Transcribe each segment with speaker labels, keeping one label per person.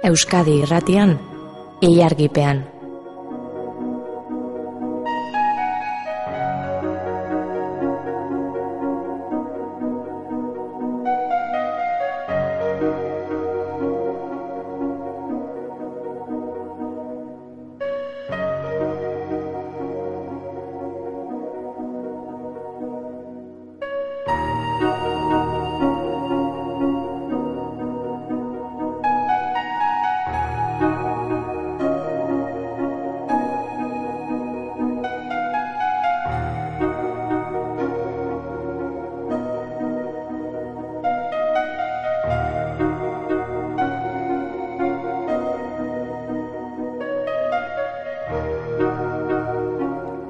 Speaker 1: Euskadi Irratian, Ilargipean.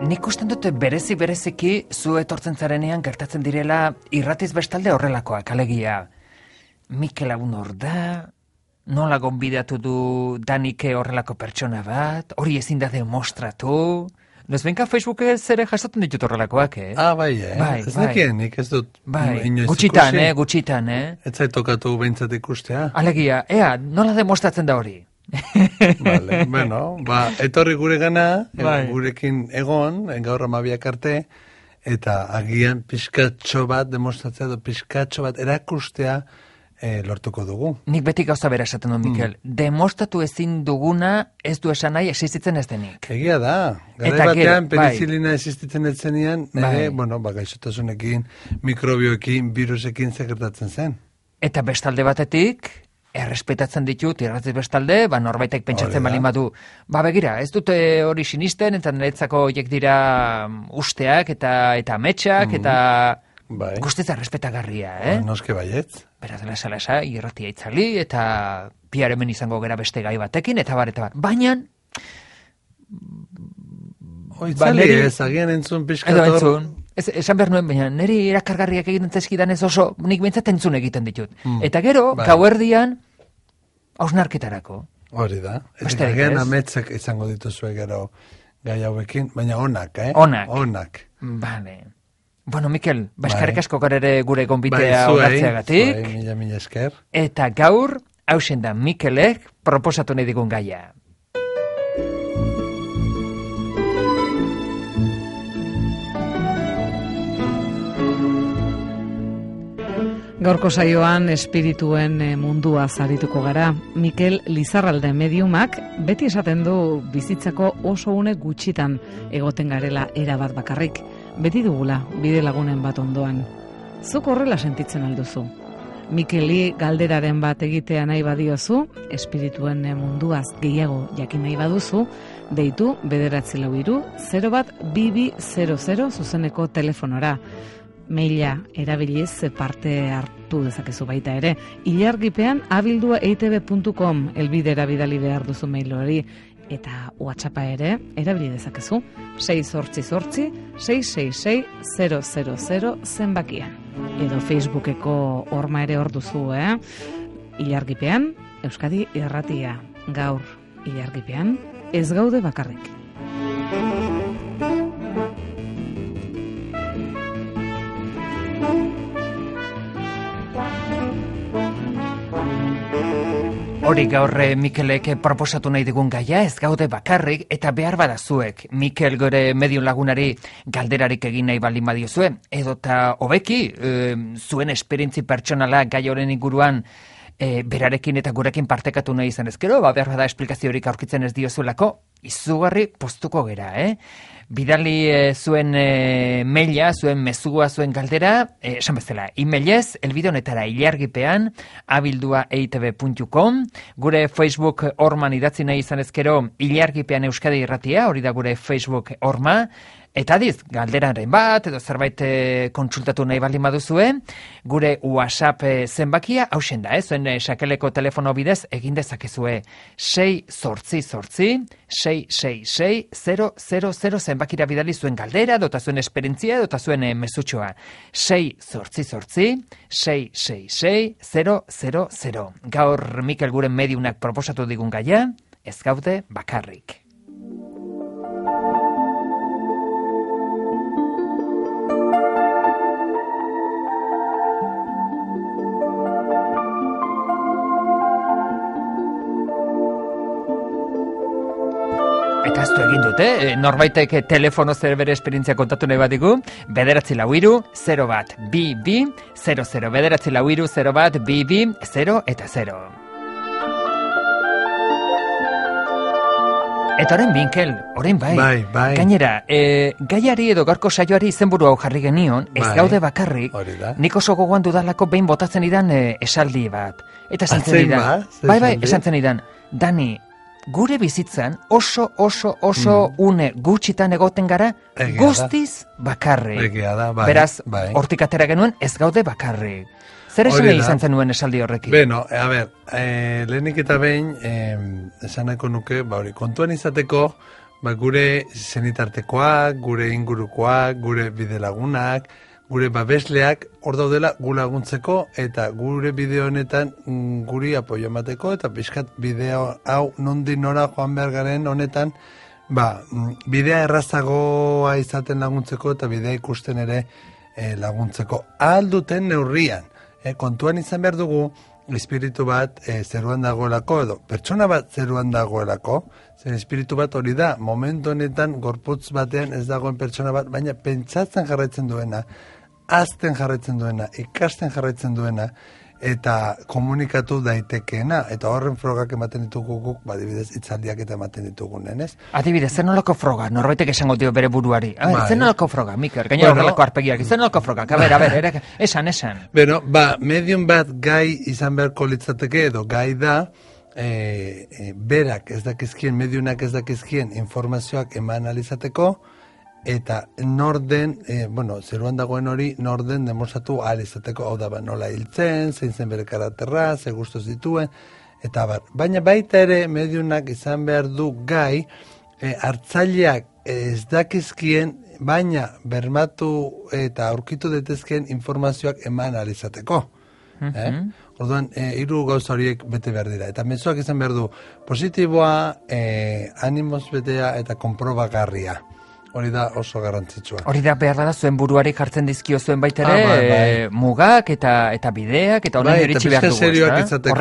Speaker 2: Nik usten dut bereziki zu etortzen zarenean gertatzen direla irratiz bestalde horrelakoak, alegia. Mikel Lagun hor da, nola gonbidatu du Danike horrelako pertsona bat, hori ezin da demostratu. Nozbenka Facebookez ere jasotzen ditut horrelakoak,
Speaker 3: Bai, ez dakien, nik ez dut inoiz
Speaker 2: ikusi. Gutxitan,
Speaker 3: Ez zait tokatu behintzat ikustea.
Speaker 2: Alegia, nola demostratzen da hori?
Speaker 3: Vale, bueno, etorri gure gana, gurekin egon, gaur 12 arte, eta agian pixkatxo bat demostratzea, pixkatxo bat erakustea lortuko dugu.
Speaker 2: Nik beti gauza bera esaten dut, Mikel. Demostratu ezin duguna ez du esan nahi existitzen ez denik.
Speaker 3: Egia da. Gara batean penicilina existitzen ez zenian, gaixotasunekin, mikrobioekin, virusekin gertatzen zen.
Speaker 2: Eta bestalde batetik, errespetatzen ditut, irratiz bestalde, norbaitek pentsatzen balin badu. Begira, ez dute hori sinisten, eta niretzako horiek dira usteak eta ametsak, eta guztiz errespetagarria,
Speaker 3: Noske baietz.
Speaker 2: Beraz, lasa, irratia itzali, eta bihar hemen izango gera beste gai batekin, eta bar. Baina...
Speaker 3: Itzali ez, agian entzun pixkator...
Speaker 2: Esan behar nuen, baina niri erakargarriak egiten zezkidan ez oso, nik bintzat entzun egiten ditut. Eta gero, gauerdian, hausnarketarako.
Speaker 3: Hori da. Eta agian ametzak izango dituzue gero gai hauekin, baina onak,
Speaker 2: Onak. Bale. Bueno, Mikel, eskerrik asko ere gure gonbitea onartzeagatik.
Speaker 3: Mila esker.
Speaker 2: Eta gaur, hausen da Mikelek proposatu nahi digun gaia.
Speaker 4: Gaurko saioan espirituen mundua zarituko gara. Mikel Lizarralde mediumak beti esaten du bizitzako oso une gutxitan egoten garela erabat bakarrik. Beti dugula bide lagunen bat ondoan. Zuk horrela sentitzen alduzu. Mikeli galderaren bat egitea nahi badiozu, espirituen munduaz gehiago jakin nahi baduzu, deitu 943-01-2200 zuzeneko telefonora. Maila erabiliz parte hartu dezakezu baita ere. Ilargipean abildua.eitb.com elbidera bidali behar duzu mail hori. Eta WhatsAppa ere erabili dezakezu. 688-666-000 zenbakian. Edo Facebookeko horma ere hor duzu, Ilargipean, Euskadi Irratia. Gaur, Ilargipean, ez gaude bakarrik.
Speaker 2: Hori gaur Mikelek proposatu nahi digun gaia, ez gaude bakarrik, eta behar badazuek Mikel gore mediun lagunari galderarik egin nahi baldin badiozue, edota hobeki zuen esperientzi pertsonala gai horren inguruan berarekin eta gurekin partekatu nahi izan ezkero, behar bada esplikaziorik aurkitzen ez diozuelako, izugarri postuko gera, Bidali zuen maila, zuen mezua, zuen galdera, esan bezala, emailez, elbide honetara ilargipean, abildua.eitb.com, gure Facebook horman idatzi nahi izan ezkero, Ilargipean Euskadi Irratia, hori da gure Facebook horma, eta adiz, galderaren bat, edo zerbait kontsultatu nahi baldin baduzue, gure WhatsApp zenbakia, hausen da, zuen sakeleko telefono bidez, egin dezakezue 688-666-000 zenbakira bidali zuen galdera, dota zuen esperientzia, dota zuen mezutxoa. 688-666-000. Gaur Mikel guren mediunak proposatu digun gaia, ez gaude bakarrik. dut, norbaitek telefono zer bere esperientzia kontatu nahi batiku, 944-01-2200, 944-01-2200 eta 0. Eta orain Mikel, orain bai. Gainera, gaiari edo gaurko saioari izenburu hau jarri genion, ez gaude bakarrik, nik oso gogoan dudalako behin botatzen idan esaldi bat. Eta esan zen idan. Bai, esan zen idan. Dani, gure bizitzan oso une gutxitan egoten gara, guztiz bakarrik. Beraz, hortik atera genuen ez gaude bakarrik. Zer esan izan zen nuen esaldi horrekin?
Speaker 3: Beno, a ber, lehenik eta behin, esan nahiko nuke, kontuan izateko, gure zenitartekoak, gure ingurukoak, gure bidelagunak, gure babesleak hor daudela gu laguntzeko, eta gure bideo honetan guri apoio emateko, eta pixkat bideo hau nondik nora joan behar garen honetan, bidea errazagoa izaten laguntzeko, eta bidea ikusten ere laguntzeko. Ahal duten neurrian. Kontuan izan behar dugu, espiritu bat zeruan dagoelako, edo pertsona bat zeruan dagoelako, zer espiritu bat hori da, momentu honetan gorputz batean ez dagoen pertsona bat, baina pentsatzen jarraitzen duena, azten jarraitzen duena, ikasten jarraitzen duena, eta komunikatu daitekeena, eta horren frogak ematen ditugu guk, adibidez, hitzaldiak eta ematen ditugunen, ez?
Speaker 2: Adibidez, zer nolako froga, norbaitek esango dio bere buruari. Zer nolako froga, Mikel, gainera horrelako arpegiak, zer nolako frogak, a ber, esan.
Speaker 3: Beno, medium bat gai izan beharko litzateke, edo gai da, berak ez dakizkien, mediunak ez dakizkien informazioak eman alizateko, eta norden, zeruan dagoen hori, norden demostratu ahal izateko, hau da, nola hiltzen, zein zen bere karakterra, ze gustuz dituen, eta baina baita ere, mediunak izan behar du gai, hartzaileak ez dakizkien, baina bermatu eta aurkitu detezkeen informazioak eman ahal izateko. Orduan, hiru gauza horiek bete behar dira. Eta mezuak izan behar du, positiboa, animoz betea eta konprobagarria. Hori da oso garrantzitsua.
Speaker 2: Hori da behar da zuen buruari jartzen dizkio zuen baitere, mugak eta bideak, eta honen eritxi behar dugu.
Speaker 3: Eta serioak izateko,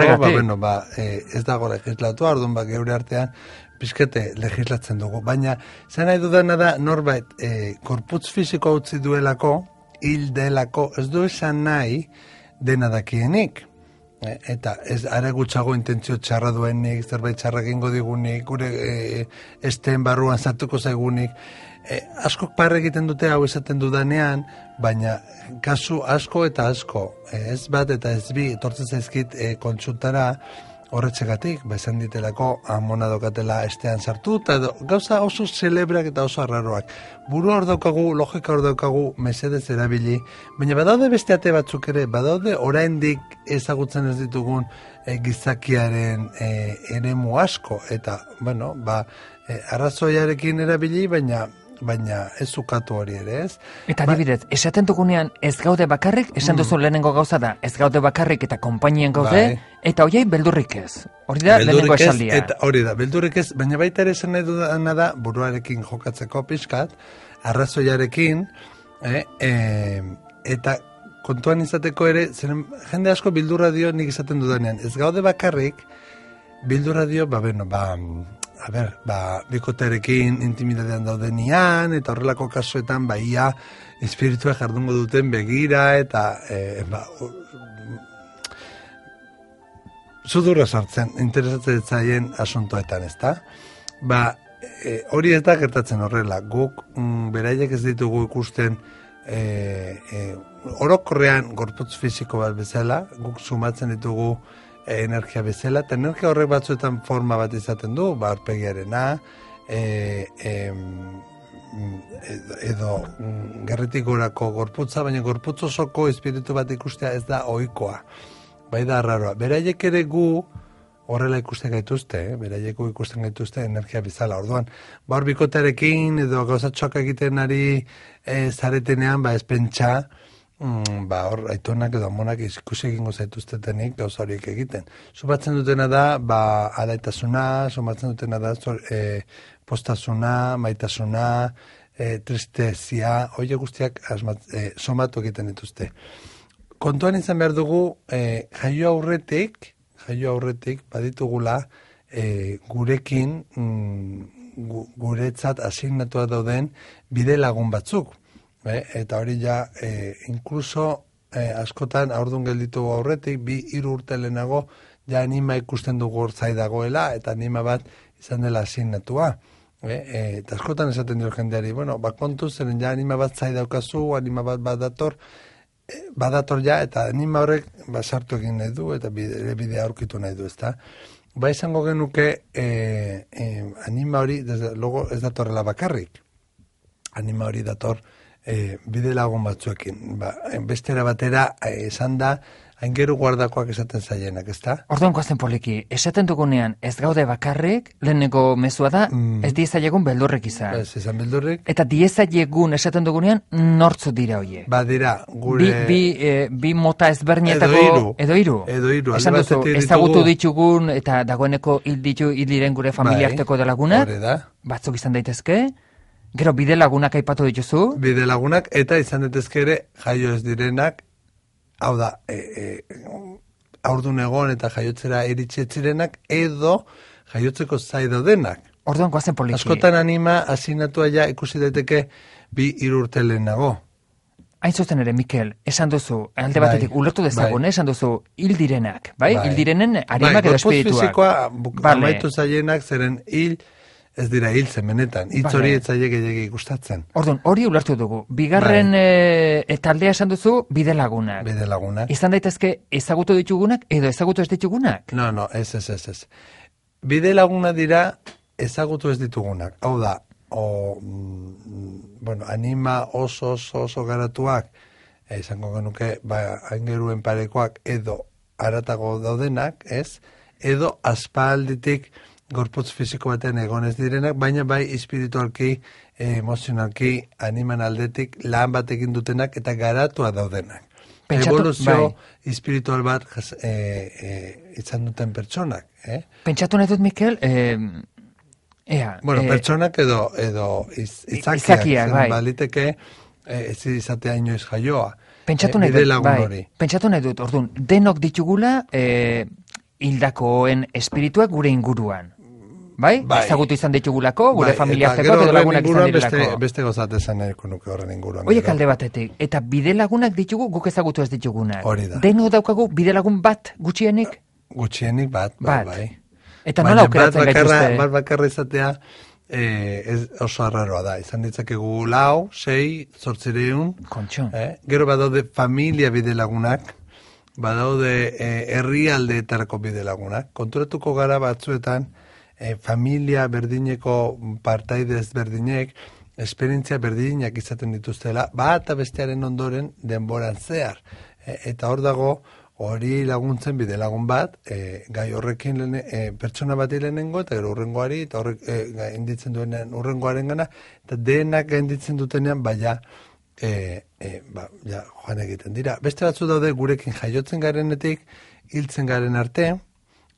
Speaker 3: ez dago legislatua, orduan geure artean, pizkete legislatzen dugu. Baina, zen nahi dudana da, norbait, korputz fisiko utzi duelako, hil delako, ez du esan nahi dena dakienik. Eta ez are gutxago intentzio txarra duenik, zerbait txarra egingo digunik, gure esteen barruan sartuko zaigunik, askok parre egiten dute hau esaten dudanean, baina kasu asko eta asko, ez bat eta ez bi, etortzen zaizkit kontsultara horretxegatik, esan ditelako amona dokatela estean sartu, eta gauza oso celebrak eta oso arraroak. Buru hor daukagu, logika hor daukagu, mesedez erabili, baina badaude beste ate batzuk ere, badaude oraindik ezagutzen ez ditugun gizakiaren eremu asko, eta, arrazoiarekin erabili, baina ez ukatu hori ere, ez?
Speaker 2: Eta adibidez, esaten dugunean ez gaude bakarrik, esan duzu lehenengo gauza da, ez gaude bakarrik eta konpainien gaude, eta horiei beldurrik ez. Hori da lehenengo esaldia.
Speaker 3: Hori da, beldurrik ez, baina baita ere esan nahi dudana da, buruarekin jokatzeko pixkat, arrazoiarekin, eta kontuan izateko ere, jende asko bildurra dio nik izaten dudanean, ez gaude bakarrik, bildurra dio, bikotearekin intimidadean daudenian, eta horrelako kasuetan, ia, espiritua jardungo duten begira, eta, sudurra sartzen, interesatzen zaien asuntoetan, ezta? Hori ez da gertatzen horrela, guk beraiek ez ditugu ikusten, orokorrean gorputz fisiko bat bezala, guk sumatzen ditugu energia bezala, eta energia horrek batzuetan forma bat izaten du, aurpegiarena, edo gerretik gorako gorputza, baina gorputz osoko espiritu bat ikustea ez da ohikoa. Bai da arraroa. Beraiek ere gu horrela ikusten gaituzte, beraiek gu ikusten gaituzte energia bezala. Orduan, hor bikotearekin edo gauzatxoak egiten ari zaretenean, ez pentsa, hor aitonak edo amonak ikusi egingo zaituztetenik gauza horiek egiten. Sumatzen dutena da, alaitasuna, sumatzen dutena da, postasuna, maitasuna, tristezia, hori guztiak somatu egiten dituzte. Kontuan izan behar dugu, jaio aurretik baditugula gurekin guretzat asignatua dauden bide lagun batzuk. Eta hori ja, inkluso askotan aurdun gelditu aurretik, 2-3 urte lehenago, ja anima ikusten dugu hortzai dagoela, eta anima bat izan dela asignatua. Eta askotan esaten dio jendeari, bueno, kontu zeren ja anima bat zai daukazu, anima bat badator ja, eta anima horrek sartu egin nahi du, eta bidea aurkitu nahi du, ezta? Izango genuke anima hori, desde logo ez datorrela bakarrik. Anima hori dator bide lagun batzuekin. Bestera batera esan da, aingeru guardakoak esaten zaienak, ezta?
Speaker 2: Orduan goazen poliki, esaten dugunean ez gaude bakarrik, leheneko mezua da, ez diezaiegun beldurrik izan.
Speaker 3: Ez izan beldurrik.
Speaker 2: Eta diezaiegun esaten dugunean, nortzu dira hoiek?
Speaker 3: Dira, gure...
Speaker 2: Bi mota ezberdinetako...
Speaker 3: Edo hiru.
Speaker 2: Esan duzu, ezagutu ditugun eta dagoeneko hil diren gure familiarteko da lagunak.
Speaker 3: Hore da.
Speaker 2: Batzuk izan daitezke. Gero bide lagunak aipatu dituzu.
Speaker 3: Bide lagunak eta izan daitezke ere jaio ez direnak. Hau da, aurdun egon eta jaiotzera iritsetzirenak edo jaiotzeko zai daudenak.
Speaker 2: Orduan goazen poliki.
Speaker 3: Askotan anima asignatua ja ikusi daiteke 2-3 urte lehenago.
Speaker 2: Hain zuzen ere, Mikel, esan duzu, alde batetik ulertu dezagun, esan duzu, hil direnak, bai? Hil direnen arimak edo espirituak.
Speaker 3: Gorputz fisikoa amaitu zaienak zeren hil ez dira hiltzen benetan, hitz hori etzaile gehiagik gustatzen.
Speaker 2: Orduan, hori ulertu dugu. Bigarren taldea esan duzu, bide lagunak.
Speaker 3: Bide lagunak.
Speaker 2: Izan daitezke ezagutu ditugunak edo ezagutu ez ditugunak?
Speaker 3: No, ez. Bide laguna dira ezagutu ez ditugunak. Hau da, anima oso garatuak, izango genuke, aingeruen parekoak edo haratago daudenak, ez? Edo aspalditik gorputz fisiko baten egon ez direnak, baina bai espiritualki, emozionalki, animan aldetik lan bat egin dutenak eta garatua daudenak. Evoluzio espiritual bat izan duten pertsonak.
Speaker 2: Pentsatu nahi dut, Mikel,
Speaker 3: pertsonak edo izakiak, baliteke ez izatea inoiz jaioa.
Speaker 2: Pentsatu nahi dut, orduan, denok ditugula hildakoen espirituak gure inguruan. Bai? Ezagutu izan ditugulako, gure familiartekoak edo lagunak izan direlako.
Speaker 3: Beste gozat esan nahiko nuke horren inguruan.
Speaker 2: Oiek alde batetik, eta bide lagunak ditugu guk ezagutu ez ditugunak.
Speaker 3: Hori da.
Speaker 2: Deno daukagu bide lagun bat gutxienik?
Speaker 3: Gutxienik bat, bai.
Speaker 2: Eta nola aukeratzen gaituzte?
Speaker 3: Bat bakarra izatea oso arraroa da. Izan ditzakegu 4, 6, 800.
Speaker 2: Kontxo.
Speaker 3: Gero badaude familia bide lagunak, badaude herrialdeetarako bide lagunak. Konturatuko gara batzuetan, familia berdineko partaide ezberdinek, esperientzia berdinak izaten dituztela, bat bestearen ondoren denboran zehar. Eta hor dago, hori laguntzen bide lagun bat, gai horrekin pertsona bat lehenengo, eta gero urrengoari, eta horrek gainditzen duenean urrengoaren gana, eta denak gainditzen dutenean, joan egiten dira. Beste batzu daude gurekin jaiotzen garenetik, hiltzen garen arte,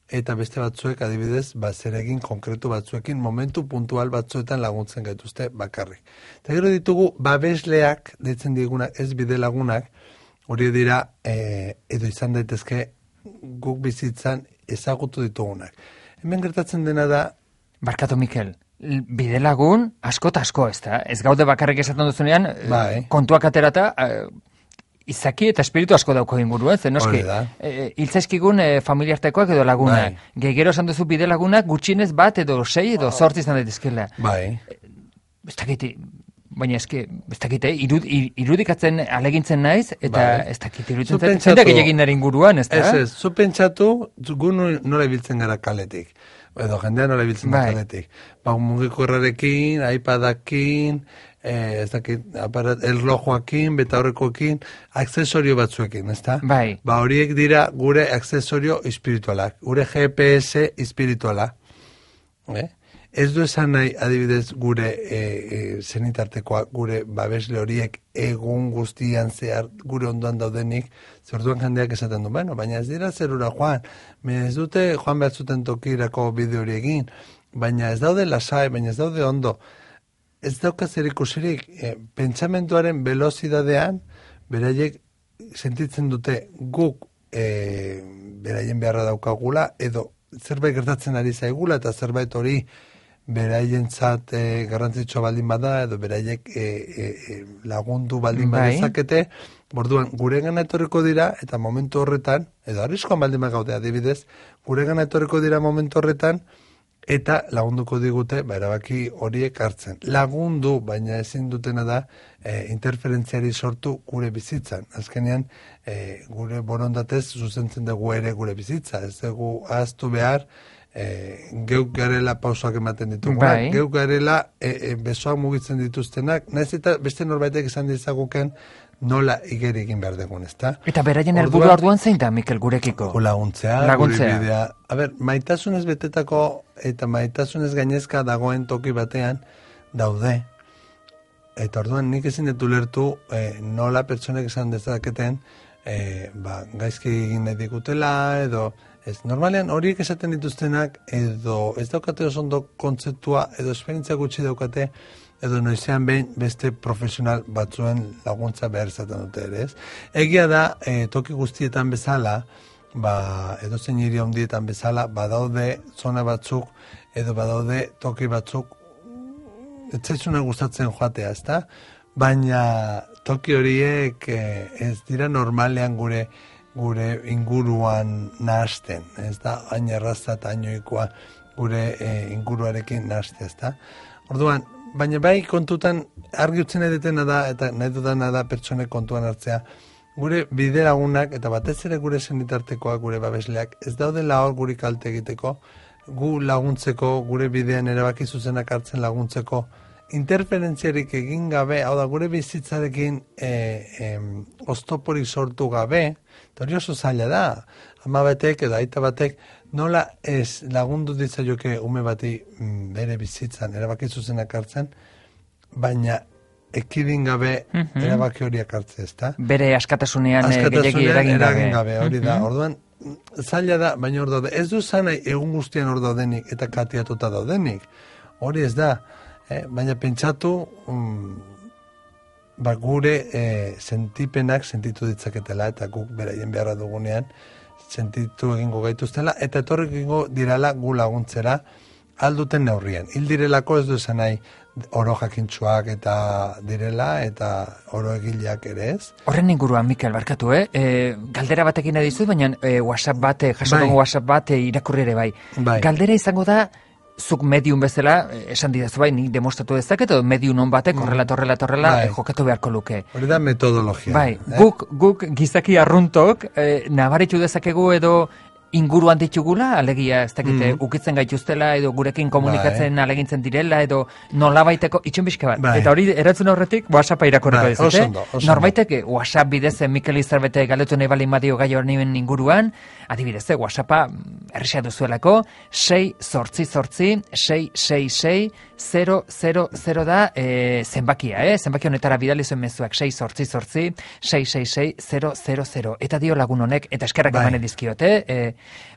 Speaker 3: eta beste batzuek adibidez, zeregin konkretu batzuekin, momentu puntual batzuetan laguntzen gaituzte bakarrik. Eta gero ditugu, babesleak, deitzen digunak, ez bide lagunak, hori dira, edo izan daitezke, guk bizitzan ezagutu ditugunak. Hemen gertatzen dena da...
Speaker 2: Barkatu, Mikel, bide lagun asko eta asko, ez da? Ez gaude bakarrik esaten duzunean, kontuak aterata... Izaki eta espiritu asko dauko inguru, ez? Noski, hiltzaizkigun familiartekoak edo lagunak. Gero esan duzu bide lagunak gutxienez bat edo 6 edo 8 izan daitezkeela. Ez dakite, baina ez dakite, irudikatzen alegintzen naiz, eta ez dakite iruditzen zen. Zendak egin naren inguruan, ez da?
Speaker 3: Ez, zu pentsatu, gu nola ibiltzen gara kaletik. Edo jendea nola ibiltzen gara kaletik. Mugikorrarekin, iPadakin, ez dakit, erlojoakin, beta horrekoekin, aksesorio batzuekin, ez da?
Speaker 2: Bai.
Speaker 3: Horiek dira gure aksesorio espiritualak, gure GPS espirituala. Ez du esan nahi, adibidez, gure zenitartekoak, gure babesle horiek egun guztian zehar gure ondoan daudenik, zerduan jendeak esaten du, baina ez dira zerura joan, ez dute joan behar zuten tokirako bide hori egin, baina ez daude lasai, baina ez daude ondo. Ez daukaz erikusirik, pentsamentuaren velozidadean, beraiek sentitzen dute guk beraien beharra daukagula, edo zerbait gertatzen ari zaigula, eta zerbait hori beraientzat garrantzitsua baldin bada, edo beraiek lagundu baldin badezakete, orduan guregana etorriko dira, eta momentu horretan, edo arriskoan baldin bagaude adibidez, guregana etorriko dira momentu horretan, eta lagunduko digute, erabaki horiek hartzen. Lagundu, baina ezin dutena da, interferentziari sortu gure bizitzan. Azkenean, gure borondatez zuzentzen dugu ere gure bizitza. Ez dugu ahaztu behar, geuk garela pausoak ematen ditugunak, geuk garela besoak mugitzen dituztenak, nahiz eta beste norbaitek izan dizaguken nola igeri egin behar dugun, ezta?
Speaker 2: Eta beraien helburua orduan zein da, Mikel, gurekiko?
Speaker 3: Laguntzea, gure bidea. Maitasunez betetako eta maitasunez gainezka dagoen toki batean daude. Eta orduan nik ezin dut ulertu nola pertsonek esan dezaketen gaizki egin nahi digutela, edo ez. Normalean horiek esaten dituztenak edo ez daukate oso ondo kontzeptua, edo esperientzia gutxi daukate, edo noizean behin beste profesional batzuen laguntza behar izaten dute ere, ez? Egia da, toki guztietan bezala, edo zein hiri handietan bezala, badaude zona batzuk, edo badaude toki batzuk, ez zaizuna gustatzen joatea, ezta? Baina toki horiek ez dira normalean gure inguruan nahasten, ez da? Hain erraza eta hainoikoa gure inguruarekin nahastea, ezta? Orduan, baina bai kontutan argi utzen nahi dutena da, eta nahi dudana da pertsonek kontuan hartzea, gure bide lagunak, eta batez ere gure senitartekoak, gure babesleak, ez daudela hor guri kalte egiteko, gu laguntzeko, gure bidean erabaki zuzenak hartzen laguntzeko, interferentziarik egin gabe, hau da, gure bizitzarekin oztoporik sortu gabe, eta hori oso zaila da, ama batek edo aita batek, nola ez lagundu ditzaioke ume bati bere bizitzan erabaki zuzenak hartzen, baina ekidin gabe erabaki horiak hartze, ezta?
Speaker 2: Bere askatasunean gehiagi eragin gabe.
Speaker 3: Hori da, orduan, zaila da, baina hor daude, ez du zanai egun guztian hor daudenik eta katiatuta daudenik, hori ez da, baina pentsatu gure sentipenak sentitu ditzaketela, eta guk beraien beharra dugunean sentitu egingo gaituztela, eta etorrik egingo dirala gu laguntzera alduten neurrien. Hil direlako ez du esan nahi oro jakintsuak eta direla, eta oro egileak ere ez.
Speaker 2: Horren inguruan, Mikel, barkatu, galdera batekin edizut, baina WhatsApp bat, jasotako WhatsApp bat irakurri ere bai. Galdera izango da, zuk medium bezala, esan didazu bai, nik demostratu dezaket, edo medium on batek horrela jokatu beharko luke.
Speaker 3: Hori da metodologia.
Speaker 2: Bai, guk gizaki arruntok, nabaritu dezakegu edo inguruan ditugula, alegia, ez dakite, ukitzen gaituztela, edo gurekin komunikatzen alegintzen direla, edo nolabaiteko, itxen bizka bat. Eta hori, eratzen horretik, WhatsAppa irakorreko dizute. Norbaitek, WhatsApp bidez, Mikel Izarbete galdetu nahi balin badio gai horren inguruan, adibidez, WhatsAppa errexea duzuelako, 6-6-6-6-6-6-0-0-0 da zenbakia, zenbaki honetara bidali zuen mezuak, 6-6-6-6-6-0-0-0. Eta dio lagun honek, eta eskerrak emanen dizkiote,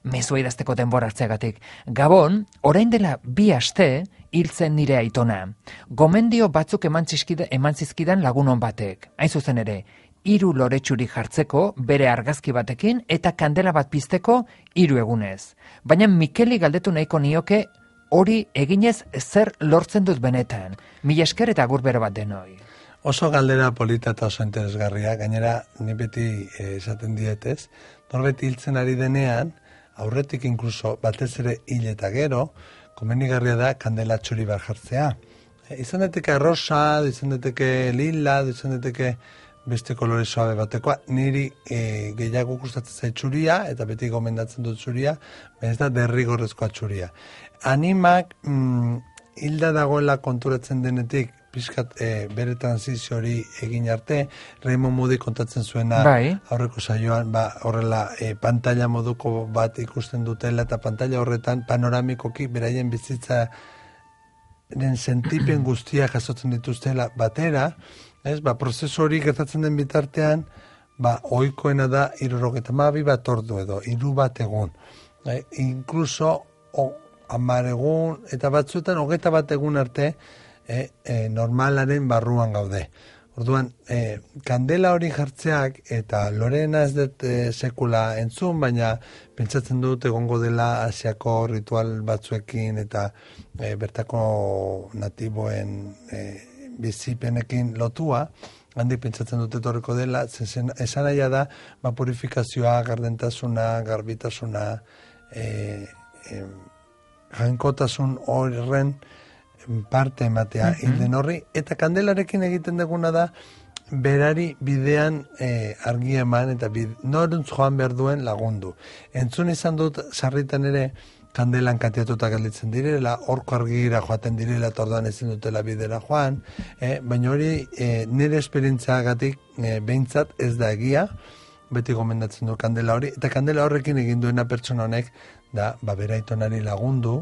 Speaker 2: mezua idazteko denbora hartzeagatik. Gabon, orain dela 2 aste hiltzen nire aitona. Gomendio batzuk eman zizkidan lagunon batek. Hain zuzen ere, 3 loretxuri jartzeko bere argazki batekin eta kandela bat pizteko 3 egunez. Baina Mikeli galdetu nahiko nioke hori eginez zer lortzen dut benetan. Mila esker eta agur bero bat denoi.
Speaker 3: Oso galdera polita eta oso interesgarria, gainera ni beti esaten dietez, norbait hiltzen ari denean, aurretik inkluso batez ere hil eta gero, komenigarria da kandela txuri bat jartzea. Izan dateke rosa, izan dateke lila, izan dateke beste kolore suabe batekoa, niri gehiago gustatzen zait txuria, eta beti gomendatzen dut txuria, ez da derrigorrezkoa txuria. Animak hilda dagoela konturatzen denetik, pixkat bere transizio hori egin arte, Raymond Moody kontatzen zuena aurreko saioan, horrela pantalla moduko bat ikusten dutela, eta pantalla horretan panoramikoki beraien bizitzaren sentipen guztia jasotzen dituztela batera, prozesu hori gertatzen den bitartean, ohikoena da 72 bat ordu edo, 3 bat egun. Inkluso 10 egun, eta batzuetan 21 egun arte, normalaren barruan gaude. Orduan, kandela hori jartzeak, eta Lorena ez dut sekula entzun, baina pentsatzen dut egongo dela Asiako ritual batzuekin eta bertako natiboen bizipenekin lotua, handik pentsatzen dut etorriko dela, esan nahi da, purifikazioa, gardentasuna, garbitasuna, jainkotasun horren parte ematea hilden horri, eta kandelarekin egiten duguna da, berari bidean argi eman, eta noruntz joan behar duen lagundu. Entzun izan dut, sarritan ere, kandelan katiatuta gelditzen direla, horko argira joaten direla, eta orduan ezin dutela bidera joan, baina hori nire esperientziagatik behintzat ez da egia, beti gomendatzen du kandela hori, eta kandela horrekin egin duena pertsona honek, da, beraitonari lagundu,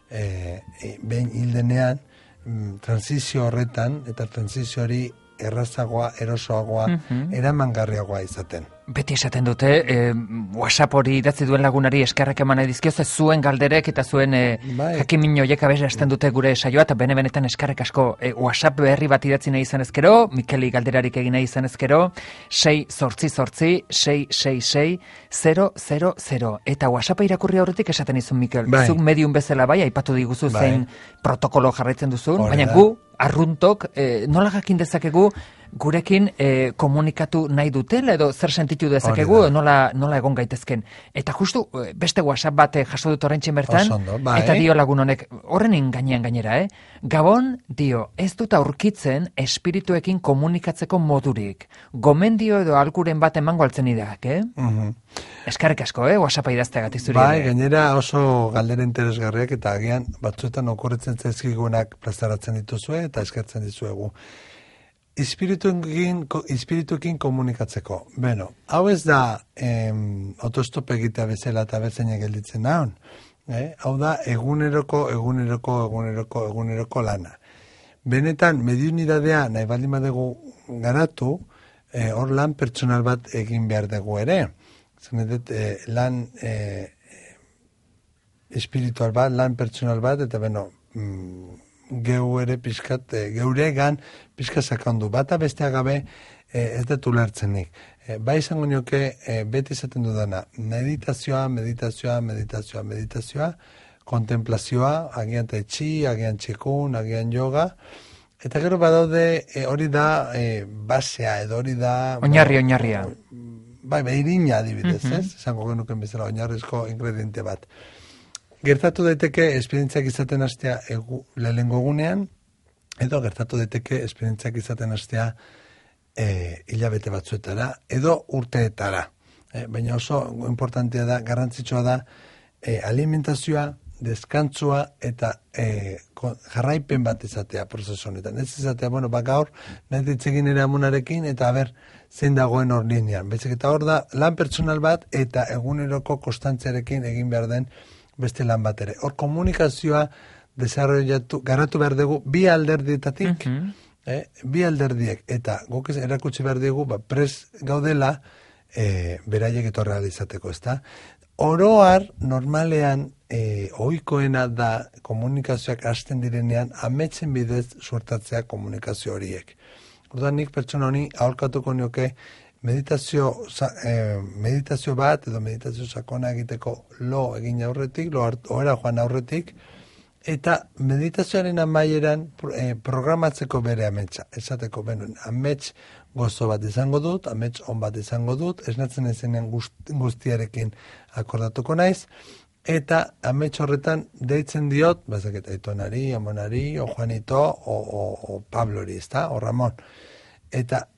Speaker 3: behin hildenean, transizio horretan, eta transizio hori errazagoa, erosoagoa, eramangarriagoa izaten.
Speaker 2: Beti esaten dute, WhatsApp hori idatzi duen lagunari eskerrak eman nahi dizkioz, zuen galderek eta zuen jakimin horiek abesten dute gure saioa, eta benetan eskerrek asko WhatsApp berri bat idatzi nahi izan ezkero, Mikeli galderarik egin nahi izan ezkero, 688-666-000, eta WhatsApp irakurri horretik esaten izun, Mikel, zuk medium bezala bai, aipatu diguzu zein protokolo jarraitzen duzun, baina gu, arruntok, nola jakin dezakegu, gurekin komunikatu nahi dutela edo zer sentitu dezakegu nola egon gaitezken. Eta justu beste WhatsApp bat jaso dut oraintxe bertan, eta dio lagun honek, horren gainean gainera, Gabon dio, ez dut aurkitzen espirituekin komunikatzeko modurik. Gomendio edo alkuren bat emango altzen idak, Eskerrik asko, WhatsAppa idazteagatik zuri.
Speaker 3: Bai, gainera oso galdera interesgarriak eta agian batzuetan okurritzen zaizkigunak plazaratzen dituzue eta eskertzen dizuegu. Espirituekin komunikatzeko. Beno, hau ez da autostop egitea bezala eta berzainak gelditzen nahon. Hau da eguneroko lana. Benetan, mediunidadea nahi baldin badegu garatu, hor lan pertsonal bat egin behar dugu ere. Zenetet, lan espiritual bat, lan pertsonal bat, eta beno, geu ere pizkat, geuregan pizkat sakandu. Bata bestea gabe ez dut ulertzenik. Bai izango nioke beti izaten dudana, meditazioa, kontemplazioa, agian taitxi, agian txikun, agian yoga, eta gero badaude hori da basea, edo hori da...
Speaker 2: Oinarria.
Speaker 3: Bai, irina adibidez, izango genuken bezala oinarrizko ingrediente bat. Gertatu daiteke esperientziak izaten hastea lehenengo egunean, edo gertatu daiteke esperientziak izaten hastea hilabete batzuetara, edo urteetara. Baina oso importantea da, garrantzitsua da, alimentazioa, deskantzua eta jarraipen bat izatea prozesu honetan. Ez izatea, gaur, nahi ditzegin ere amunarekin, eta zein dagoen hor linean. Bezik eta hor da, lan pertsonal bat eta eguneroko konstantziarekin egin behar den beste lan bat ere. Hor komunikazioa garatu behar dugu bi alderdietatik, bi alderdiek, eta guk erakutsi behar dugu, pres gaudela beraiek etorra izateko, ezta? Oroar, normalean, ohikoena da komunikazioak hasten direnean, ametsen bidez suertatzea komunikazio horiek. Orduan nik pertsona honi aholkatuko nioke meditazio bat edo meditazio sakona egiteko lo egin aurretik, ohera joan aurretik, eta meditazioaren amaieran programatzeko bere ametsa. Esateko, amets gozo bat izango dut, amets on bat izango dut, esnatzen ezenean guztiarekin akordatuko naiz, eta amets horretan deitzen diot, bazaket Aitonari, Amonari, o Juanito, o Pablori, ezta, o Ramon. Eta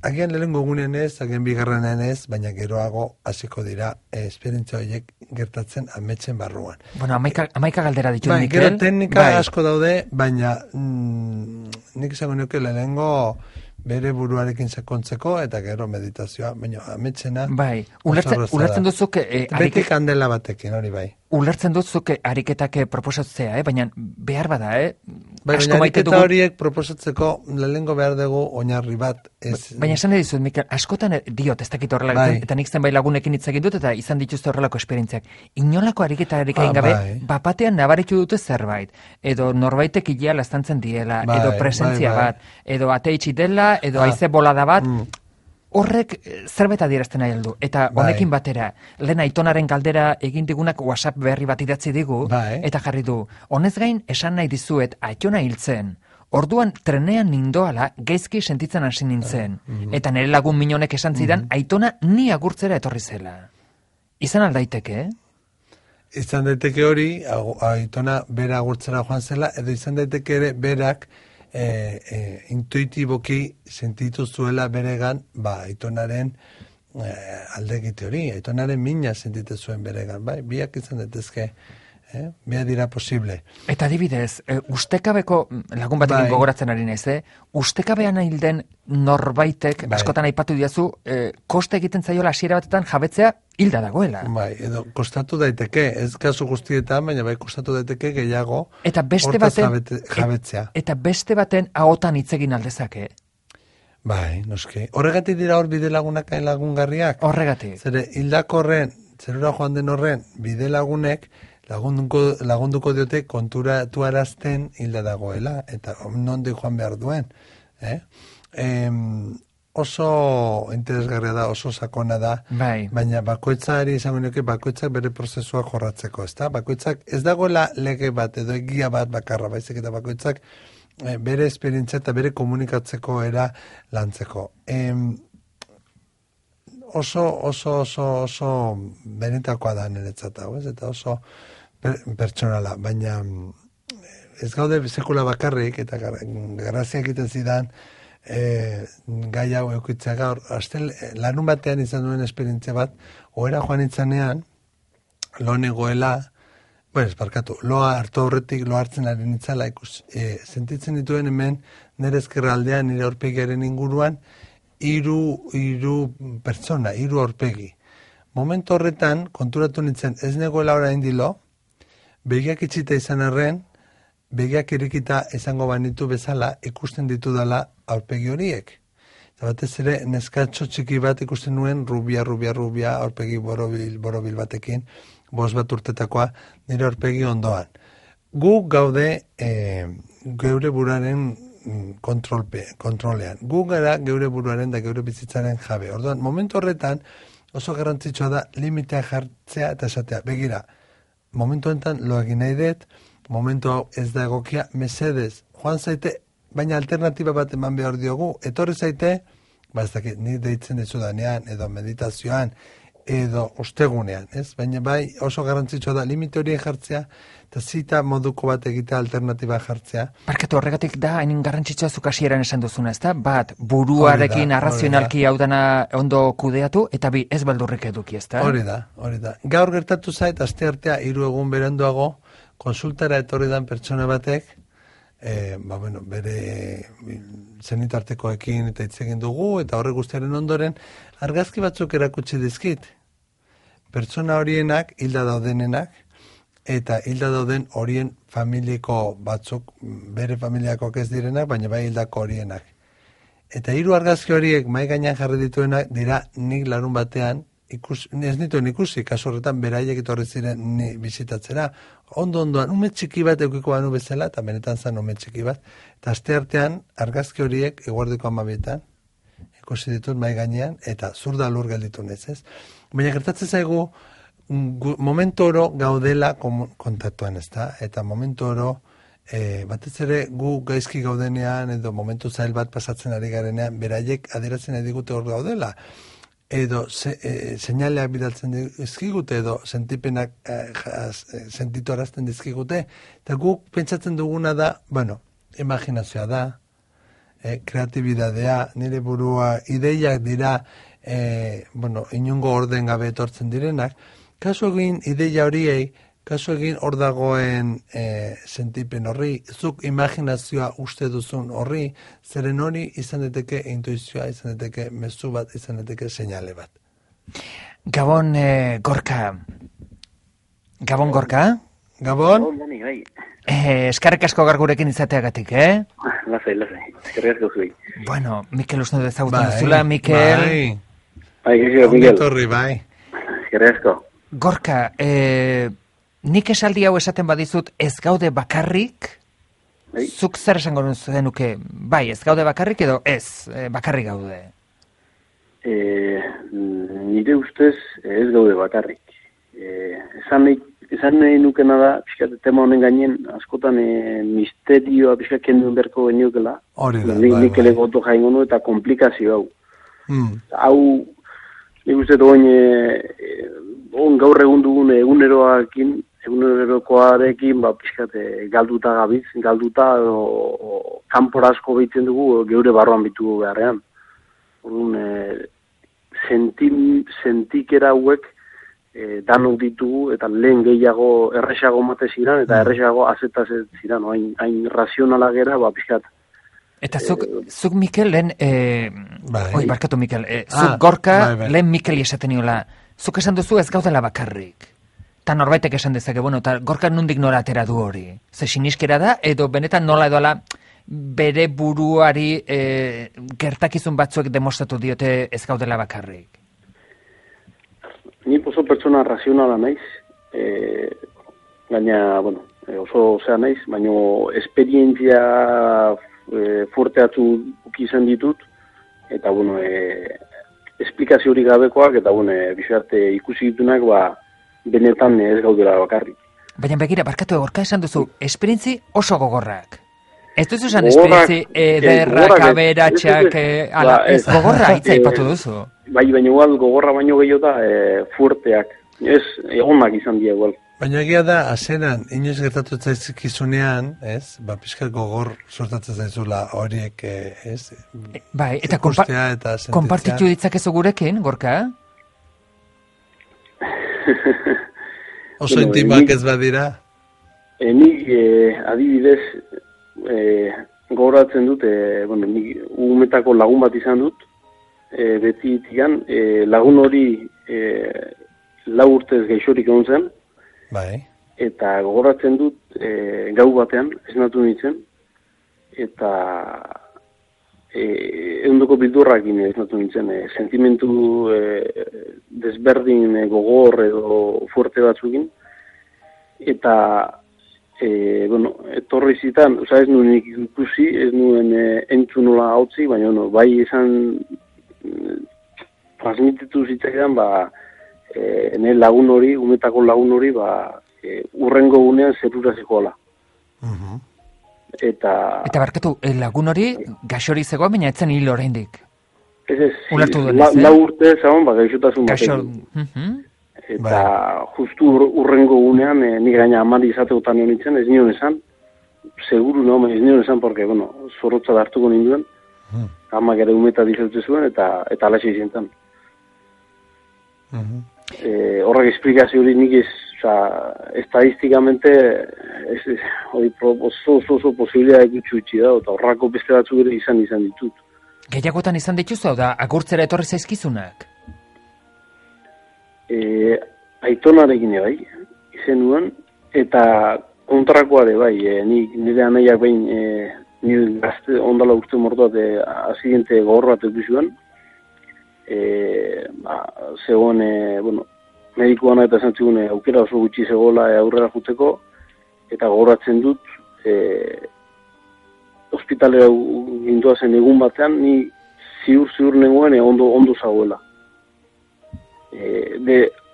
Speaker 3: agian lehenengo egunean ez, agian bigarrenean ez, baina geroago hasiko dira esperientzia horiek gertatzen ametsen barruan.
Speaker 2: Bueno, amaika galdera ditu, Mikel.
Speaker 3: Gero teknika asko daude, baina nik izango nioke lehenengo bere buruarekin sakontzeko eta gero meditazioa, baina ametsena...
Speaker 2: Bai, ulertzen duzuk...
Speaker 3: Beti kandela batekin, hori bai.
Speaker 2: ulertzen duzuk ariketak proposatzea, baina behar bada,
Speaker 3: Baina ariketa horiek proposatzeko lehengo behar dugu oinarri bat.
Speaker 2: Baina esan dizut, Mikel, askotan diot, ez dakit horrela, eta nik zenbait lagunekin hitz egin dut, eta izan dituzte horrelako esperientziak. Inolako ariketarik egin gabe, bapatean nabaritu dute zerbait, edo norbaitek ilea laztantzen diela, edo presentzia bat, edo ate itxi dela, edo haize bolada bat, horrek zerbait adierazten nahi aldu. Eta honekin batera, lehen aitonaren galdera egin digunak WhatsApp berri bat idatzi digu, eta jarri du, honez gain esan nahi dizuet aitona hiltzen. Orduan trenean nindoala gaizki sentitzen hasi nintzen. Eta nire lagun minonek esan zidan, aitona ni agurtzera etorri zela. Izan aldaiteke,
Speaker 3: Izan daiteke hori, aitona bera agurtzera joan zela, edo izan daiteke ere berak intuitiboki sentitu zuela beregan, aitonaren aldegite hori, aitonaren mina sentitu zuen beregan, biak izan daitezke, biak dira posible.
Speaker 2: Eta adibidez, ustekabeko, lagun batekin gogoratzen ari naiz, ustekabean hilden norbaitek, askotan aipatu diazu, koste egiten zaiola hasiera batetan jabetzea hilda dagoela.
Speaker 3: Edo kostatu daiteke, ez kasu guztietan, baina kostatu daiteke gehiago
Speaker 2: eta beste baten
Speaker 3: jabetzea.
Speaker 2: Eta beste baten ahotan hitz egin aldezake.
Speaker 3: Noski. Horregatik dira hor bide lagunak lagungarriak.
Speaker 2: Horregatik.
Speaker 3: Zere, hildako horren, zerura joan den horren, bide lagunek lagunduko diote konturatu arazten hilda dagoela, eta nondik joan behar duen. Oso interesgarria da, oso sakona da, baina bakoitzari izango nioke bakoitzak bere prozesua jorratzeko, ezta? Bakoitzak ez dagoela lege bat edo egia bat bakarra, baizik eta bakoitzak bere esperientzia eta bere komunikatzeko era lantzeko. Oso benetakoa da niretzat hau, eta oso pertsonala, baina ez gaude sekula bakarrik, eta grazia egiten zidan, gai hau eukitzea gaur, lanun batean izan duen esperientzia bat, ohera joan itzanean, lo negoela, loa hartu aurretik, lo hartzen ari nitzala, sentitzen dituen hemen, nire ezkerra aldean, nire aurpegiaren inguruan, hiru pertsona, hiru aurpegi. Momentu horretan, konturatu nintzen, ez negoela orain dilo, begiak itxita izan arren, begiak irikita izango banitu bezala ikusten ditu dela aurpegi horiek. Eta batez ere, neskatxo txiki bat ikusten nuen, rubia, aurpegi borobil batekin, 5 bat urtetakoa, nire aurpegi ondoan. Gu gaude geure buraren kontrolean. Gu gara geure buruaren da geure bizitzaren jabe. Orduan, momentu horretan, oso garrantzitsua da limitea jartzea eta esatea. Begira, momentu honetan lo egin nahi dut, momentu hau ez da egokia, mesedez, joan zaite, baina alternatiba bat eman behar diogu, etorri zaite, ez dakit, ni deitzen dizudanean, edo meditazioan, edo ostegunean, ez? Baina oso garrantzitsua da limite horien jartzea, eta zita moduko bat egitea alternatiba jartzea.
Speaker 2: Barkatu, horregatik da, hain garrantzitsua zuk hasieran esan duzuna, ez da? Bat, buruarekin arrazionalki hau dana ondo kudeatu, eta bi, ez baldurrik eduki, ez da?
Speaker 3: Hori da. Gaur gertatu zait, aste artea, 3 egun beranduago, konsultara etorri dan pertsona batek, bere zenitartekoekin eta hitz egin dugu, eta horre guztiaren ondoren, argazki batzuk erakutsi dizkit. Pertsona horienak, hilda daudenenak, eta hilda dauden horien familiako batzuk, bere familiakoak ez direnak, baina bai hildako horienak. Eta 3 argazki horiek mai gainean jarri dituenak dira nik larun batean, ez nituen ikusi, kasu horretan beraiek etorri ziren ni bizitatzera, ondoan, ume txiki bat eukiko banu bezala, eta benetan zen ume txiki bat, eta aste artean argazki horiek eguerdiko 12etan, ikusi ditut mai gainean, eta zurda lur gelditu ez. Baina gertatzen zaigu, momentu oro gaudela kontaktuan, ezta? Eta momentu oro, batez ere gu gaizki gaudenean, edo momentu zail bat pasatzen ari garenean, beraiek adierazten nahi digute hor gaudela, edo seinaleak bidaltzen dizkigute, edo sentipenak sentitu arazten dizkigute, eta guk pentsatzen duguna da, imaginazioa da, kreatibidadea, nire burua, ideiak dira, inungo orden gabe etortzen direnak, kasu egin ideia horiei, kasu egin hor dagoen sentipen horri, zuk imaginazioa uste duzun horri, zeren hori izan daiteke intuizioa, izan daiteke mezu bat, izan daiteke seinale bat.
Speaker 2: Gabon, Gorka, Gabon, Gorka?
Speaker 3: Gabon?
Speaker 5: Bai.
Speaker 2: Eskarrik asko gaur gurekin izateagatik,
Speaker 5: Lasai. Eskerrik asko zuei.
Speaker 2: Bueno, Mikel uste dut ezagutzen duzula, Mikel.
Speaker 5: Bai, Mikel.
Speaker 3: Ongi bai.
Speaker 5: Eskerrik asko.
Speaker 2: Gorka, nik esaldi hau esaten badizut ez gaude bakarrik, zuk zer esango zenuke, bai, ez gaude bakarrik edo ez, bakarrik gaude?
Speaker 5: Nire ustez ez gaude bakarrik. Esan nahi nukena da, pixkat, tema honen gainen, askotan misterioa pixkat kenduen berko geniokela.
Speaker 3: Hori da,
Speaker 5: nik elegoto jaingo nu eta komplikazio hau. Hau, nik uste doin, gaur egun dugun egunerokoarekin, pixkat, galduta gabiz, kanpora asko behitzen dugu, geure barroan bitugu beharrean. Orduan, sentikera hauek, danok ditugu, eta lehen gehiago erresago mate ziren, eta erresago azetazet ziren, hain razionala gera, pixkat.
Speaker 2: Eta zuk Mikel, lehen, barkatu Mikel, zuk Gorka, lehen Mikel esaten niola, zuk esan duzu ez gaudela bakarrik. Ta norbaitek esan dezake, eta Gorka nondik nola atera du hori. Ze siniskera da, edo benetan nola edoala bere buruari gertakizun batzuek demostratu diote ez gaudela bakarrik.
Speaker 5: Ni oso pertsona razionala naiz, gaina, oso zea naiz, baina esperientzia fuerte atzu izan ditut, eta, esplikazio hori gabekoak, eta, bizarte ikusi ditunak, benetan ez gaudela bakarrik.
Speaker 2: Baina begira, barkatu Gorka esan duzu, esperientzi oso gogorrak. Ez duzu esan esperientzi ederrak, aberatxak, ez gogorra hitza ipatu duzu.
Speaker 5: Bai, baina igual gogorra baino gehiago da fuerteak. Ez, egonak izan dira igual.
Speaker 3: Baina egia da, azeran, inoiz gertatu zaizkizunean, ez? Pixkat gogor sortatzen zaizula horiek, ez?
Speaker 2: Bai, eta konpartitu ditzakezu gurekin, Gorka?
Speaker 3: Oso intimak ez badira?
Speaker 5: Nik, adibidez, gogoratzen dut, nik umetako lagun bat izan dut, beti itigan, lagun hori 4 urtez geixorik egon zen, eta gogoratzen dut gau batean, esnatu nintzen, eta eundoko bildurrakin esnatu nintzen, sentimentu desberdin gogor edo fuerte batzukin, eta etorri zitan, ez nuen ikusi, ez nuen entzunola hautzi, baina bai izan transmititu zitzaidan, nire lagun hori, umetako lagun hori, urrengo gunean zerura zikoala. Eta
Speaker 2: barkatu, lagun hori gaixori zegoa, baina etzen hil oraindik.
Speaker 5: Ez,
Speaker 2: ulertu duen,
Speaker 5: 4 urte zagon, gaixotasun batekin. Eta justu urrengo gunean, nik gaina amari izategotan nion nintzen, ez nion esan, seguru ez nion esan, porque, zorrotza hartuko ninduen, amak ere umeta dizautze zuen, eta alaxe izentan. Horrek esplikazio hori nik estadistikamente oso posibilea egutxu itxi da, eta horrako beste batzuk ere izan ditut.
Speaker 2: Gehiagotan izan dituzu, da agurtzera etorri zaizkizunak?
Speaker 5: Aitonarekin bai, izen nuen, eta kontrakoa ere bai, nire anaiak behin, nire gazte ondala urte mortuat, azidente gogor bat eguzioan, zegoen, medikoan eta esan zigun, aukera oso gutxi zegoela aurrera juteko, eta gogoratzen dut, hospitalera gintua zen egun batean, ni ziur nengoen ondo zagoela.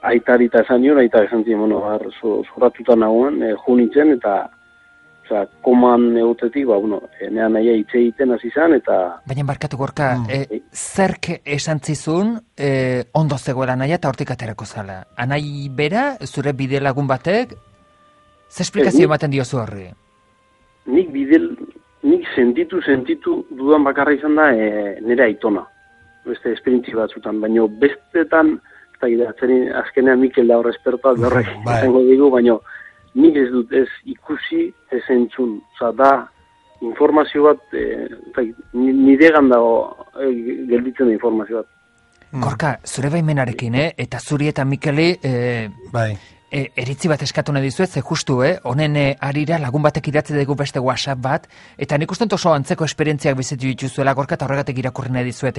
Speaker 5: Aitari eta esan nion, aita esan ziren, zorratuta nagoen, jo nintzen, eta koman egotetik, nean naia hitz egiten hasi izan, eta...
Speaker 2: Baina barkatu Gorka, zerk esan zizun ondo zegoela naia eta hortik aterako zala? Anai bera, zure bide lagun batek, ze esplikazio ematen diozu horri?
Speaker 5: Nik sentitu dudan bakarra izan da nire aitona. Beste esperientzi batzutan, baina bestetan, azkenean Mikel da horre espertoa, horrek izango digu, baina nik ez dut ez ikusi, ez entzun. Da informazio bat, niregan dago gelditzen da informazio bat.
Speaker 2: Gorka, zure baimenarekin, eta zuri eta Mikeli eritzi bat eskatu nahi dizuet, ze justu, honen arira lagun batek idatzi dugu beste WhatsApp bat, eta nik uste oso antzeko esperientziak bizitu dituzuela, Gorka, eta horregatik irakurri nahi dizuet,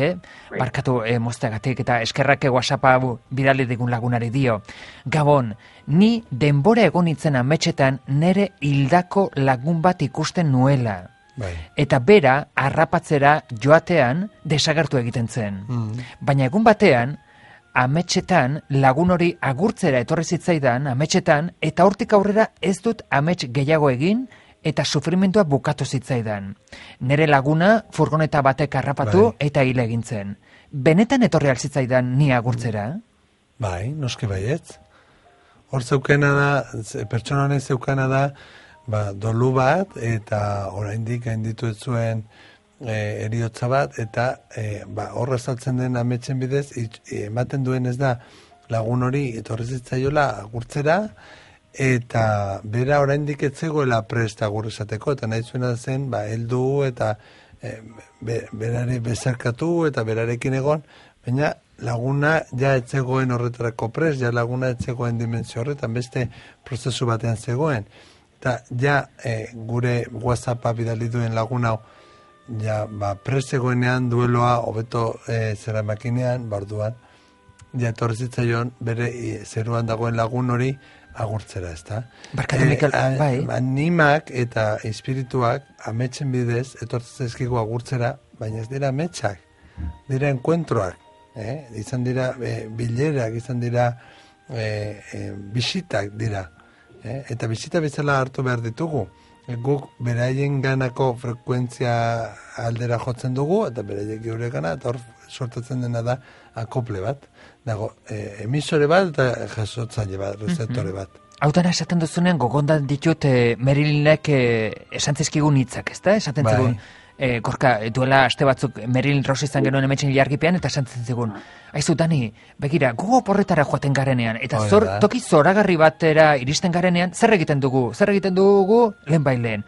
Speaker 2: barkatu mozteagatik, eta eskerrak WhatsAppa bidali digun lagunari dio. Gabon, ni denbora egon nintzen ametxetan nere hildako lagun bat ikusten nuela.
Speaker 3: Bai.
Speaker 2: Eta bera, harrapatzera joatean desagertu egiten zen. Baina egun batean, ametxetan lagun hori agurtzera etorri zitzaidan, ametxetan, eta hortik aurrera ez dut amets gehiago egin, eta sufrimendua bukatu zitzaidan. Nere laguna furgoneta batek harrapatu eta hil egin zen. Benetan etorri alzitzaidan ni agurtzera?
Speaker 3: Bai, noski baietz. Hor zeukena da, pertsona honen zeukena da, dolu bat, eta oraindik gainditu ez zuen eriotza bat, eta horra saltzen den ametsen bidez, ematen duen ez da lagun hori etorri zitzaiola agurtzera, eta bera oraindik ez zegoela prest agur esateko, eta nahi zuena zen, heldu eta berare bezarkatu eta berarekin egon, baina laguna ja ez zegoen horretarako prest, ja laguna ez zegoen dimensio horretan, beste prozesu batean zegoen. Eta ja gure WhatsAppa bidali duen lagun hau, ja prest zegoenean dueloa hobeto zera makinean, barduan, ja etorri zitzaion bere zeruan dagoen lagun hori agurtzera, ezta?
Speaker 2: Barkatu, Mikel, bai.
Speaker 3: Animak eta espirituak ametsen bidez etortzen zaizkigu agurtzera, baina ez dira ametsak, dira enkuentroak, izan dira bilerak, izan dira bisitak dira, eta bisita bezala hartu behar ditugu. Guk beraien ganako frekuentzia aldera jotzen dugu, eta beraiek geure gana, eta hor sortatzen dena da akople bat. Dago, emisore bat eta jasotzaile bat, receptore bat.
Speaker 2: Hautan esaten duzunean, gogondan ditut Merilinek esan zizkigun hitzak, ezta? Esaten zigun, Gorka, duela aste batzuk Merilin Rosi izan genuen emetxen ilargipean, eta esan zigun, aizu, Dani, begira, gugo porretara joaten garenean, eta toki zoragarri batera iristen garenean, zer egiten dugu lehen baileen.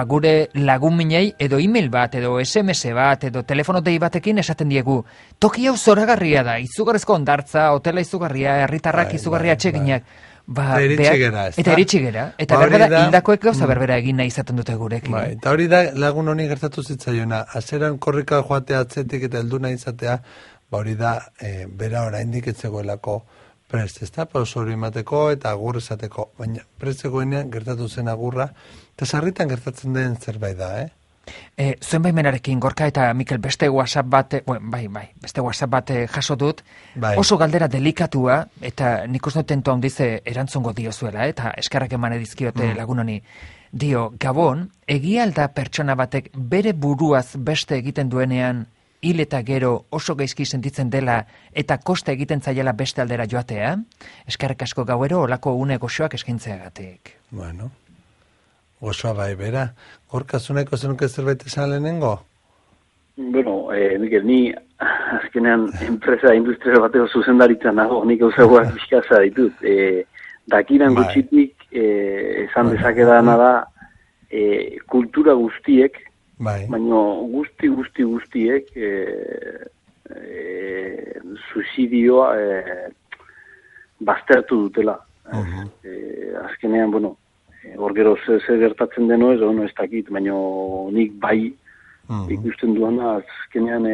Speaker 2: Gure lagun minei, edo email bat, edo SMS bat, edo telefono dei batekin esaten diegu, toki hau zoragarria da, izugarrezko ondartza, hotela izugarria, herritarrak izugarria atseginak. Eta iritsi gera. Eta berbera, hildakoek gauza berbera egin nahi izaten dute gurekin.
Speaker 3: Eta hori da lagun honi gertatu zitzaiona. Azeran korrika joatea atzetik eta heldu nahi izatea, hori da bera oraindik ez zegoelako prest, ezta? Pauso hori emateko eta agur esateko. Baina prest zegoenean gertatu zen agurra, eta sarritan gertatzen den zerbait da,
Speaker 2: Zuen baimenarekin, Gorka eta Mikel, beste WhatsApp bat, beste WhatsApp bat jaso dut, oso galdera delikatua, eta nik uste tentu handize erantzungo diozuela, eta eskerrak eman edizkiote lagun honi. Dio, Gabon, egia alda pertsona batek bere buruaz beste egiten duenean, hil eta gero oso gaizki sentitzen dela, eta kosta egiten zaiela beste aldera joatea? Eskerrak asko gauero, olako une goxoak eskaintzeagatik.
Speaker 3: Bueno. Gozoa bai, bera. Gorka, zuneko zenuke zerbait esan lehenengo?
Speaker 5: Bueno, Mikel, ni azkenean enpresa industrial bateko zuzendaritza nago, nik gauzagoak bizkaza ditut. Dakiran gutxitik esan dezakedana da kultura guztiek, baina guztiek suizidioa baztertu dutela. Azkenean, bueno, hor gero ze gertatzen deno ez, ez dakit, baina nik bai ikusten duana, azkenean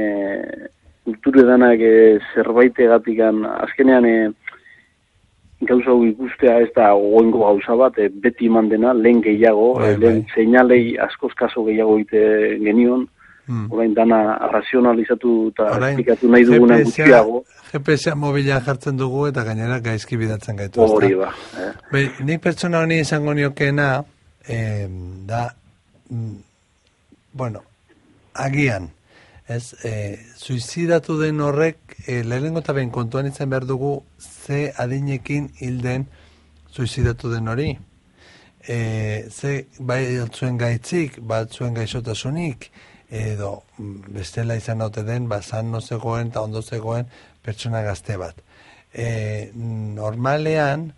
Speaker 5: kulture danak zerbaitegatik, azkenean gauza ikustea ez da goengo gauza bat, beti eman dena, lehen gehiago, lehen seinalei askoz kaso gehiago egite genion, orain dana razionalizatu eta esplikatu nahi duguna gutxiago.
Speaker 3: GPS mobila jartzen dugu eta gainera gaizki bidatzen gaitu.
Speaker 5: Hori ba.
Speaker 3: Nik pertsona honi izango niokeena, da, bueno, agian, suizidatu den horrek, lehenengo eta behin kontuan izan behar dugu, ze adinekin hilden suizidatu den hori. Ze batzuen gaitzik, batzuen gaixotasunik, edo bestela izan haute den, zan no zegoen eta ondo zegoen pertsona gazte bat. Normalean,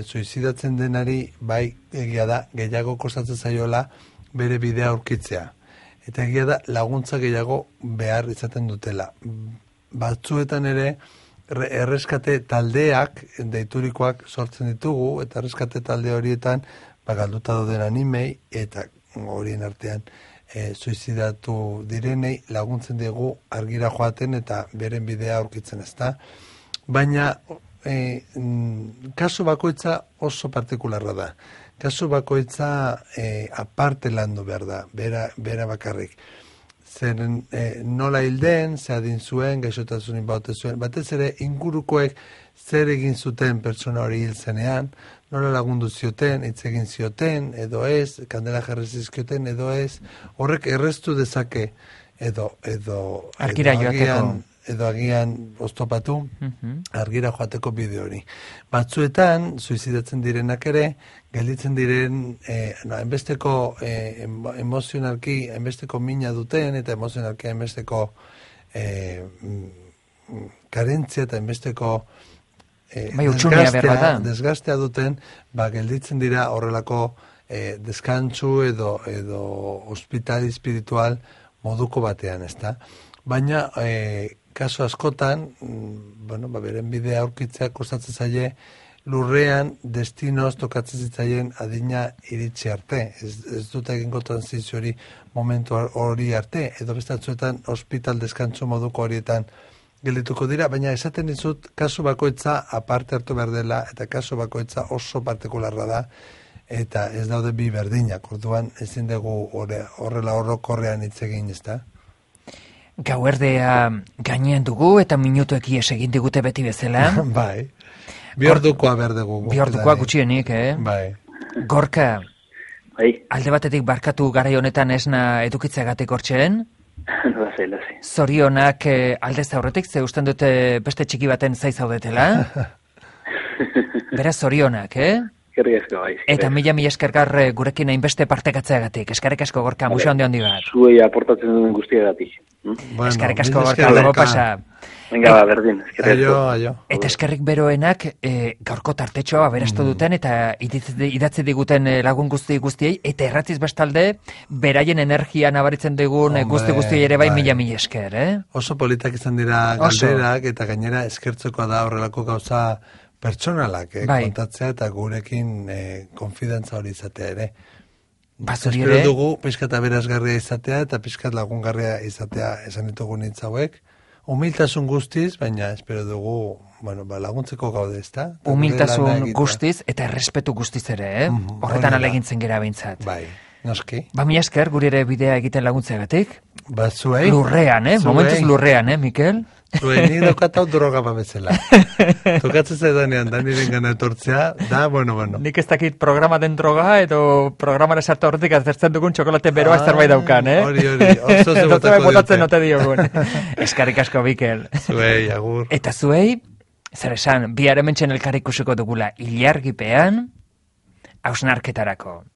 Speaker 3: suizidatzen denari, bai egia da, gehiago kostatzen zaiola bere bidea aurkitzea. Eta egia da, laguntza gehiago behar izaten dutela. Batzuetan ere, erreskate taldeak, deiturikoak sortzen ditugu, eta erreskate talde horietan, galduta dauden animei, eta horien artean suizidatu direnei laguntzen dugu argira joaten eta beren bidea aurkitzen, ezta. Baina kasu bakoitza oso partikularra da. Kasu bakoitza aparte landu behar da, bera bakarrik. Zeren nola hilden, ze adin zuen, gaixotasunin baute zuen, batez ere ingurukoek zer egin zuten pertsona hori hil zenean, nola lagundu zioten, hitz egin zioten, edo ez, kandela jarri zizkioten, edo ez, horrek erreztu dezake, edo agian oztopatu, argira joateko bideo hori. Batzuetan, suizidatzen direnak ere, gelditzen diren, enbesteko emozionalki, enbesteko mina duten, eta emozionalki enbesteko karentzia eta enbesteko desgastea duten, gelditzen dira horrelako deskantzu edo hospital espiritual moduko batean, ezta? Baina, kaso askotan, beren bidea aurkitzea kostatzen zaie, lurrean destinoz tokatzen zitzaien adina iritsi arte. Ez dut egingo transizio hori momentu hori arte, edo bestatzuetan hospital deskantzu moduko horietan geldituko dira, baina esaten dizut kasu bakoitza aparte hartu behar dela, eta kasu bakoitza oso partikularra da, eta ez daude bi berdinak, orduan ezin dugu horrela orokorrean hitz egin, ezta?
Speaker 2: Gauerdea gainean dugu eta minutuek ies egin digute beti bezala.
Speaker 3: Bai. Biordukoa behar dugu.
Speaker 2: Biordukoa gutxienik,
Speaker 3: Bai.
Speaker 2: Gorka,
Speaker 5: bai.
Speaker 2: Alde batetik barkatu garai honetan esna edukitzeagatik hortxeen?
Speaker 5: Lasai.
Speaker 2: Zorionak aldez aurretik, ze usten dute beste txiki baten zai zaudetela? Beraz zorionak,
Speaker 5: Bai,
Speaker 2: eta mila eskergar gurekin hainbeste partekatzeagatik. Eskerrik asko, Gorka, muxo handi bat.
Speaker 5: Zuei aportatzen duen guztiagatik.
Speaker 2: Eskerrik asko, Gorka, dago pasa.
Speaker 5: Venga, berdin, eskerrik
Speaker 3: asko.
Speaker 2: Eta eskerrik beroenak gaurko tartetxoa aberastu duten eta idatzi diguten lagun guztiei, eta erratziz bestalde, beraien energia nabaritzen digun guztiei ere bai mila esker,
Speaker 3: Oso politak izan dira galderak, eta gainera eskertzekoa da horrelako gauza pertsonalak, kontatzea eta gurekin konfidantza hori izatea ere. Espero dugu pixkat aberasgarria izatea eta pixkat lagungarria izatea esan ditugu nintz hauek. Humiltasun guztiz, baina espero dugu laguntzeko gaude, ezta?
Speaker 2: Humiltasun guztiz eta errespetu guztiz ere, horretan alegintzen gera behintzat.
Speaker 3: Bai, noski.
Speaker 2: Mila esker, guri ere bidea egiten laguntzeagatik.
Speaker 3: Zuei.
Speaker 2: Lurrean, momentuz lurrean, Mikel?
Speaker 3: Zuei, nik daukatau droga babezela. Tokatzen zaidanean, da niren gana etortzea, da, bueno.
Speaker 2: Nik ez dakit programa den droga, edo programara sartu horretik azertzen dugun txokolate beroa zerbait daukan,
Speaker 3: Hori, oso
Speaker 2: botatzen note diogun. Eskarrik asko, Mikel.
Speaker 3: Zuei, agur.
Speaker 2: Eta zuei, zer esan, bihar hementxen elkar ikusiko dugula ilargipean, hausnarketarako.